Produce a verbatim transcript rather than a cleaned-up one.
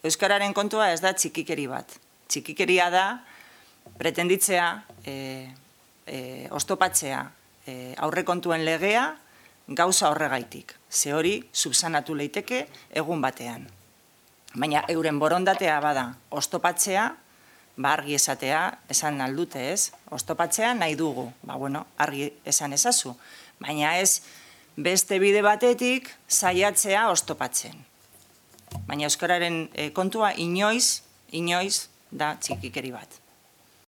Euskararen kontua ez da txikikeri bat. Txikikeria da pretenditzea, oztopatzea aurrekontuen legea gauza horregaitik. Ze hori subsanatu leiteke egun batean. Baina euren borondatea bada oztopatzea, ba argi esatea, esan aldute ez, oztopatzea nahi dugu. Ba bueno, argi esan ezazu. Baina ez beste bide batetik saiatzea oztopatzen. Baina euskararen kontua inoiz, inoiz da txikikeri bat.